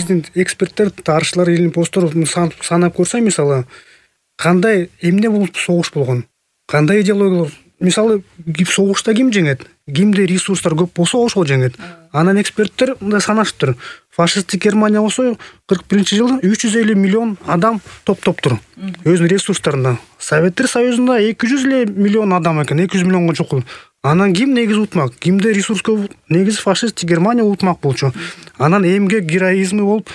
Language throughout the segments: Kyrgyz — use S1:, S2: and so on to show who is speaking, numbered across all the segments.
S1: биздин эксперттер, тарыхчылар, илимпоздор санап көрсө, мисалы, кандай эмне болуп согуш болгон, кандай идеологиялар, мисалы, согушта ким жеңет, кимде ресурстар көп болсо ошол жеңет. Анан эксперттер мындай санашыптыр. Фашисттик Германия болсо 41-жылы 350 миллион адам топтоптур өзүнүн ресурстарына. Советтер Союзунда 200 миллион адам экен, 200 миллионго чукул. Анан ким негизи утмак, кимде ресурс көп, негизи фашисттик Германия утмак болчу. Анан эмгек, героизми болуп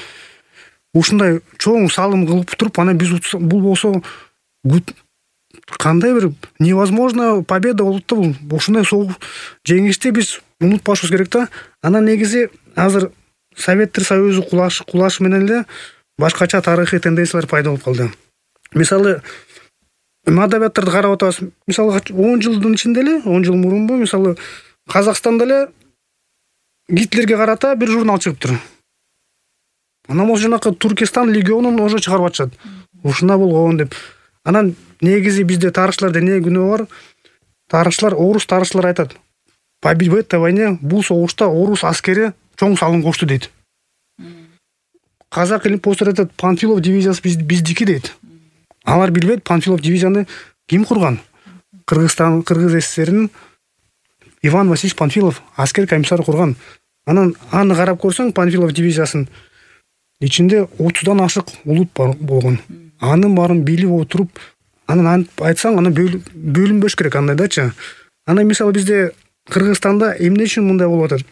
S1: ушундай чоң салым кылып туруп, анан биз бул болсо кандай бир невозможно победа болот да бул. Ушундай жеңишти биз унутпашыбыз керек да. Анан негизи азыр Советтер Союзу кулашы менен эле башкача тарыхый тенденциялар пайда болуп калды. Мисалы, адабияттарды карап атабыз. Мисалы, 10 жылдын ичинде эле, 10 жыл мурунбу, мисалы, Казакстанда эле Гитлерге карата бир журнал чыгыптыр. Анан болсо жанакы Туркестан легионун уже чыгарып атышат. Ушундай болгон деп. Анан негизи бизде тарыхчыларда эмне күнөө бар? Тарыхчылар, орус тарыхчылар айтат. В этой войне бул согушта орус аскери чоң салым кошту дейт. Казак илимпоздор айтат, Панфилов дивизиясы биздики дейт. Алар билбейт, Панфилов дивизияны ким курган? Кыргыз СССРнин Иван Васильевич Панфилов аскер комиссар курган. Анан аны карап көрсөң, Панфилов дивизиясынын ичинде 30дан ашык улут болгон. Анын баарын билип отуруп, анан айтсаң, аны бөлүнбөш керек андайдачы. Анан мисалы бизде Кыргызстанда эмне үчүн мындай болуп атат?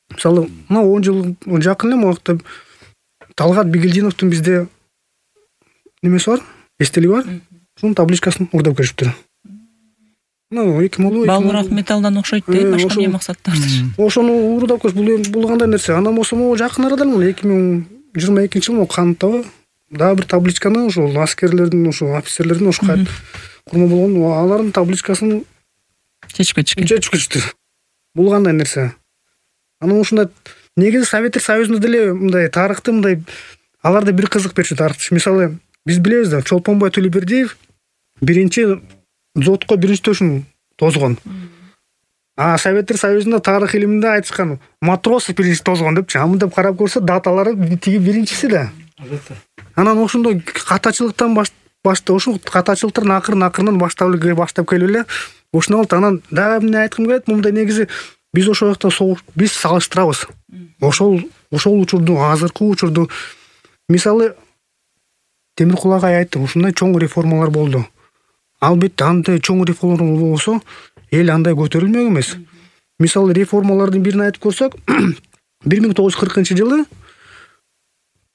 S1: Мисалы, 10 жыл жакын эле убакытта Талгат Бигелдиновдун бизде немеси бар? Эстелиги бар? Ошонун табличкасын урдап келишиптир. 2000
S2: Балмурак металлдан окшойт дейт, башка эмне максаттардыр.
S1: Ошону урдап келиш, бул кандай нерсе? Анан болсо жакын арада 2022-жылы Кантта дагы бир табличканы ошол аскерлердин, ошол офицерлердин ошо курма болгон, алардын табличкасын
S2: чечип кетишти.
S1: Бул кандай нерсе? Анан ушундай негизи Советтер Союзунда деле мындай тарыхты мындай аларда бир кызык берчү тарыхчы. Мисалы, биз билебиз да, Чолпонбай Төлөбердиев биринчи дзотко биринчи төшүн тозгон. Советтер Союзунда тарых илиминде айтышкан Матросов биринчи тозгон депчи. Мындай карап көрсө, даталары тиги биринчиси да. Анан ошондой катачылыктан ошол катачылыктардын акырынан баштап келип эле ушуна болот. Анан дагы эмне айткым келет, мындай негизи биз ошол жакта биз салыштырабыз. Ошол учурду, азыркы учурду, мисалы, Темиркул агай айтты, ушундай чоң реформалар болду. Албетте, андай чоң реформалар болсо, эл андай көтөрүлмөк эмес. Мисалы, реформалардын бирин айтып көрсөк, 1940-жылы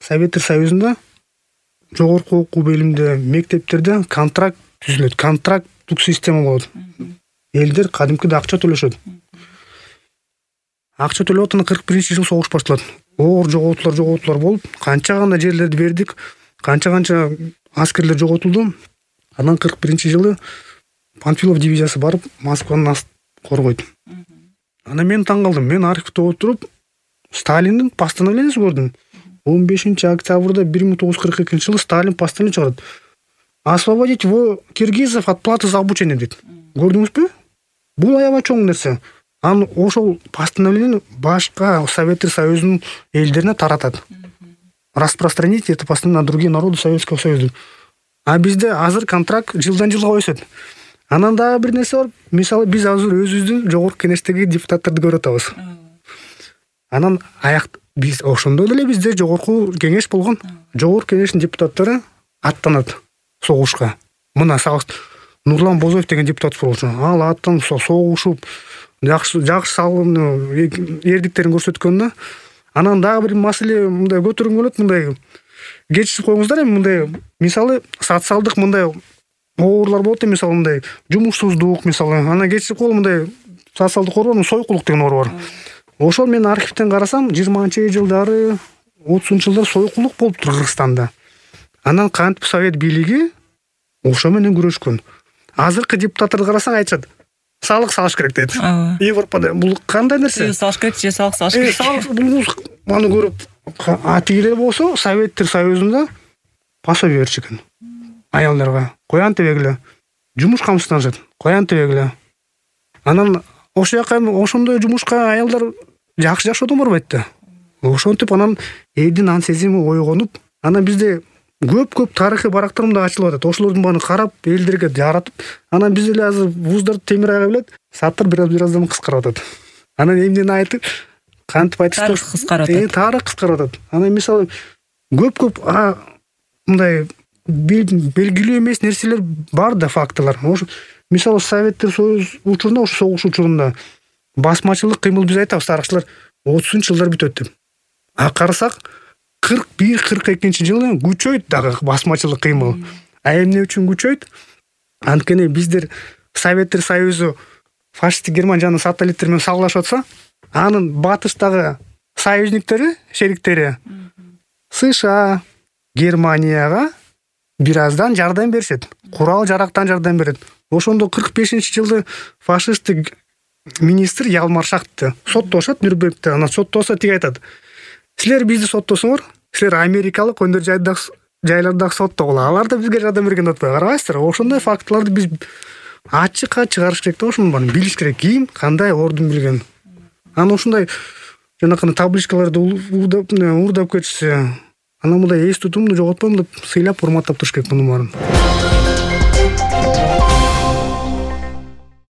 S1: Советтер Союзунда жогорку окуу бөлүмдө, мектептерде контракт түзүлөт, контракттык система болот. Элдер кадимкиде акча төлөшөт. Акча төлөп атат, 41-жыл согуш башталат. Оор жоготуулар болуп, канча гана жерлерди бердик, канча аскерлер жоготулду. Анан 41-жылы Панфилов дивизиясы барып, Москваны коргойт. Анан мен таң калдым. Мен архивде отуруп, Сталиндин постановлениясын көрдүм. 15-октябрда 1942-жылы Сталин постановление чыгарат. Освободить киргизов от платы за обучение дейт. Көрдүңүзбү? Бул аябай чоң нерсе. Анан ошол постановление башка Советтер Союзунун элдерине таратат. Распространить это постановление на другие народы Советского Союза. А бизде азыр контракт жылдан жылга өсөт. Анан дагы бир нерсе бар. Мисалы, биз азыр өзүбүздүн жогорку кеңештеги депутаттарды көрүп атабыз. Анан биз ошондой эле бизде жогорку кеңеш болгон. Жогорку кеңештин депутаттары аттанат согушка. Мына Нурлан Бозоев деген депутат болчу. Ал аттанып согушуп, жакшы салым эрдиктерин көрсөткөндө, анан дагы бир маселе мындай көтөргөнгө болот, мындай кечирип коюңуздар эми, мындай мисалы социалдык мындай оорлар болот, мисалы мындай жумушсуздук, мисалы анан кечирип коюл, мындай социалдык оору, сойкулук деген оору бар. Ошол мен архивден карасам, 20-жылдары, 30-жылдары сойкулук болуптур Кыргызстанда. Анан кантип Совет бийлиги ошо менен күрөшкөн. Азыркы депутаттарды карасаң айтышат, салык салыш керек дейт. Европада бул кандай нерсе?
S2: Салыш керек же салык салыш керек.
S1: Бул аны көрүп, атигилер болсо Советтер Союзунда пособие беришкен. Аялдарга коян тебегиле, жумуш камсызданышат, коян тебегиле. Анан ошол жака ошондой жумушка аялдар жакшы жашоодон барбайт да. Ошентип анан элдин ан сезими ойгонуп, анан бизде көп тарыхый барактар мындай ачылып атат. Ошолордун баарын карап, элдерге жаратып, анан биз эле азыр вуздарды темир ага билет, саттар бираздан кыскарып атат. Анан эмнени айтып, кантип айтышты?
S2: Тарых кыскарып атат.
S1: Тарых кыскарып атат. Анан мисалы көп мындай белгилүү эмес нерселер бар да, фактылар. Ошо мисалы Советтер Союз учурунда, ошо согуш учурунда басмачылык кыймыл биз айтабыз тарыхчылар 30-жылдар бүтөт деп. Карасак 41-42-жылы күчөйт дагы басмачылык кыймыл. Эмне үчүн күчөйт? Анткени биздер Советтер Союзу фашисттик Германия жана сателлиттер менен салгылашып атса, анын батыштагы союзниктери, шериктери США, Германияга бираздан жардам беришет. Курал жарактан жардам берет. Ошондо 45-жылы фашисттик министр Ялмар Шахтты соттошот Нюрнбергде. Анан соттосо тиги айтат: "Силер бизди соттосоңор, силер америкалык өндөр жайлардагы соттогула. Алар да бизге жардам берген деп атпайбы? Карабайсыздар?" Ошондой фактыларды биз ачыкка чыгарыш керек да, ошону баарын билиш керек. Ким кандай ордун билген. Анан ушундай жанакы табличкаларды уурдап кетишсе, анан мындай эс тутумду жоготпойм деп сыйлап, урматтап туруш керек мунун баарын.